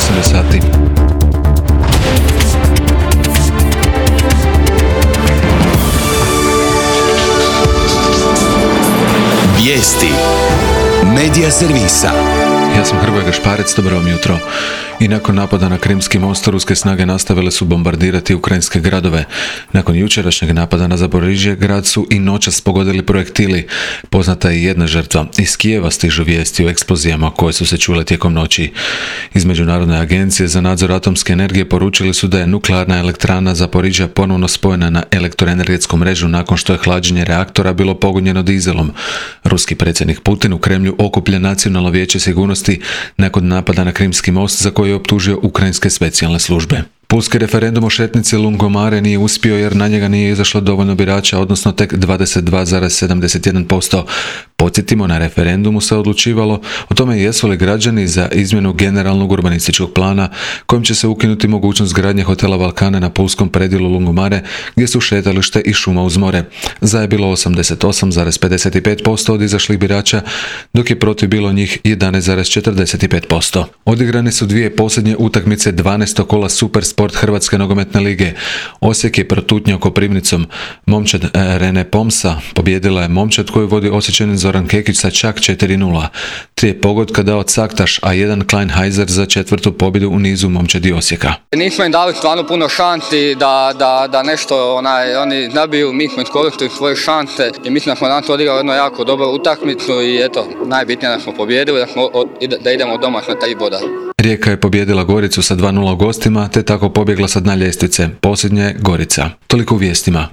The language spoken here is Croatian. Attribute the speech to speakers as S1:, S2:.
S1: 18 sati.
S2: Vijesti Medija servisa.
S1: Ja sam Hrvoje Gašparec, dobro vam jutro. I nakon napada na Krimski most, ruske snage nastavile su bombardirati ukrajinske gradove. Nakon jučerašnjeg napada na Zaporižje, grad su i noćas pogodili projektili. Poznata je jedna žrtva. Iz Kijeva stižu vijesti o eksplozijama koje su se čule tijekom noći. Iz Međunarodne agencije za nadzor atomske energije poručili su da je nuklearna elektrana Zaporižja ponovno spojena na elektroenergetsku mrežu nakon što je hlađenje reaktora bilo pogonjeno dizelom. Ruski predsjednik Putin u Kremlju okuplja Nacionalno vijeće sigurnosti nakon napada na Krimski most, za koji je optužio ukrajinske specijalne službe. Pulski referendum o šetnici Lungomare nije uspio jer na njega nije izašlo dovoljno birača, odnosno tek 22,71%. Podsjetimo, na referendumu se odlučivalo o tome jesu li građani za izmjenu generalnog urbanističkog plana kojim će se ukinuti mogućnost gradnje hotela Balkane na pulskom predjelu Lungomare gdje su šetalište i šuma uz more. Za je bilo 88,55% od izašlih birača, dok je protiv bilo njih 11,45%. Odigrane su dvije posljednje utakmice 12. kola Supersport Hrvatske nogometne lige. Osijek je protutnjao Koprivnicom. Momčad Rene Pomsa pobijedila je momčad koju vodi Osječanin Zoran Kekić sa čak 4:0. 3 pogotka dao Caktaš, a 1 Kleinheiser za 4. pobjedu u nizu momčadi Osijeka.
S3: Nismo im dali stvarno puno šansi da nešto oni nabiju, mi smo iskoristili svoje šanse i mislim da smo danas odigrali jednu jako dobru utakmicu i eto, najbitnije da smo pobijedili, da idemo doma na 3 boda.
S1: Rijeka je pobijedila Goricu sa 2:0 gostima, te tako pobjegla sa dna ljestvice. Posljednja je Gorica. Toliko u vijestima.